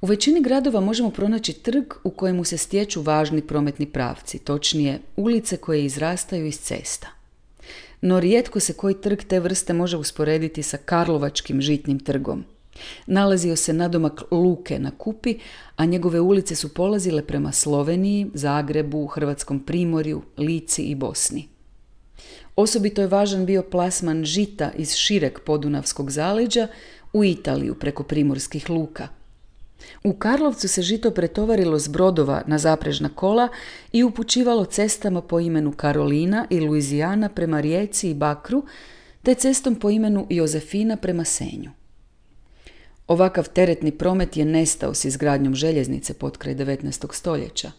U većini gradova možemo pronaći trg u kojemu se stječu važni prometni pravci, točnije ulice koje izrastaju iz cesta. No rijetko se koji trg te vrste može usporediti sa Karlovačkim žitnim trgom. Nalazio se nadomak luke na Kupi, a njegove ulice su polazile prema Sloveniji, Zagrebu, Hrvatskom primorju, Lici i Bosni. Osobito je važan bio plasman žita iz šireg podunavskog zaleđa u Italiju preko primorskih luka. U Karlovcu se žito pretovarilo s brodova na zaprežna kola i upućivalo cestama po imenu Karolina i Luizijana prema Rijeci i Bakru, te cestom po imenu Jozefina prema Senju. Ovakav teretni promet je nestao s izgradnjom željeznice potkraj 19. stoljeća.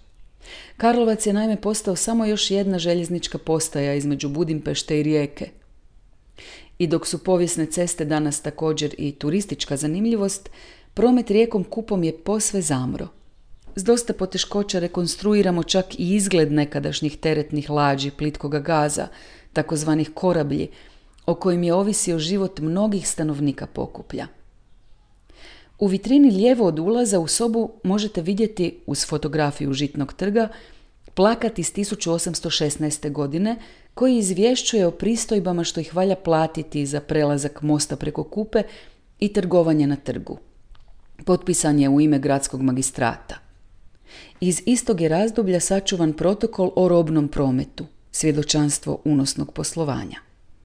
Karlovac je naime postao samo još jedna željeznička postaja između Budimpešte i Rijeke. I dok su povijesne ceste danas također i turistička zanimljivost, promet rijekom Kupom je posve zamro. S dosta poteškoća rekonstruiramo čak i izgled nekadašnjih teretnih lađi plitkoga gaza, takozvanih korablji, o kojim je ovisio život mnogih stanovnika Pokuplja. U vitrini lijevo od ulaza u sobu možete vidjeti, uz fotografiju žitnog trga, plakat iz 1816. godine koji izvješćuje o pristojbama što ih valja platiti za prelazak mosta preko Kupe i trgovanje na trgu. Potpisan je u ime gradskog magistrata. Iz istog je razdoblja sačuvan protokol o robnom prometu, svjedočanstvo unosnog poslovanja.